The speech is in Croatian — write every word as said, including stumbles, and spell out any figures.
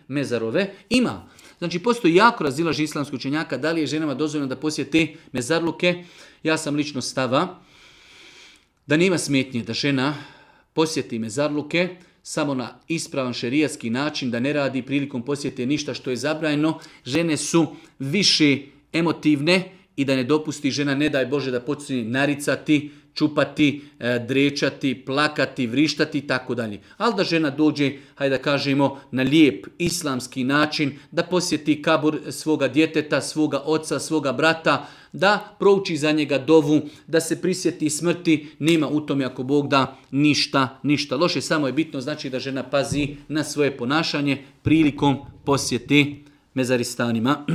mezarove. Ima. Znači, postoji jako razilaženje islamskih učenjaka da li je ženama dozvoljeno da posjete mezarluke. Ja sam lično stava da nema smetnje da žena posjeti mezarluke samo na ispravan šerijatski način, da ne radi prilikom posjete ništa što je zabranjeno. Žene su više emotivne i da ne dopusti žena, ne daj Bože, da počne naricati, čupati, drečati, plakati, vrištati i tako dalje. Ali da žena dođe, hajde da kažemo, na lijep islamski način, da posjeti kabur svoga djeteta, svoga oca, svoga brata, da prouči za njega dovu, da se prisjeti smrti, nema u tome ako Bog da ništa, ništa loše. Samo je bitno znači da žena pazi na svoje ponašanje prilikom posjete mezaristanima.